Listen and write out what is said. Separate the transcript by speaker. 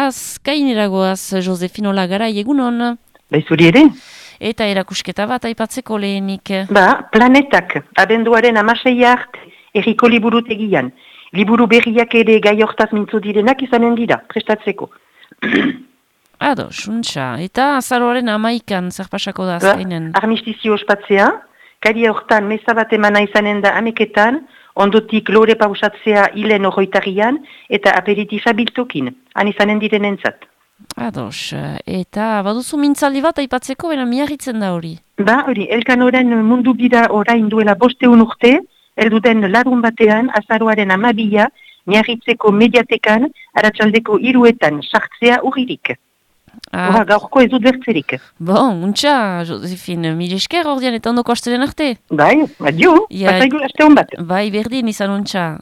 Speaker 1: azkaineragoaz, Josefino Lagarai, egunon.
Speaker 2: Zuri ere?
Speaker 1: Eta erakusketa bat aipatzeko lehenik.
Speaker 2: Planetak, abenduaren 16 arte, erriko liburutegian. Liburu berriak ere gai hortaz mintzo direnak izanen dira, prestatzeko.
Speaker 1: Ado, suntxa. Eta azaroaren 11an zer pasako da azkainen?
Speaker 2: Armistizio ospatzea, kari hortan meza bat emana izanen da ameketan, ondotik lore pausatzea hilen horroitarian, eta aperitifa biltokin, han izanen direnentzat.
Speaker 1: Ados, eta baduzu mintzaldi bat aipatzeko, bera miarritzen da hori?
Speaker 2: Hori, Elkanoren mundu bira orain duela 5 urte, elduden larun batean, azaroaren 12a, miarritzeko mediatekan, aratsaldeko 3etan sartzea urririk. Gaurko ez dut bertzerik.
Speaker 1: Bon, untxa, Josefin, mil esker ordean eta ondoko astelen arte?
Speaker 2: Bai, adio, pasaigu aste hon bat.
Speaker 1: Bai, berdin izan untxa.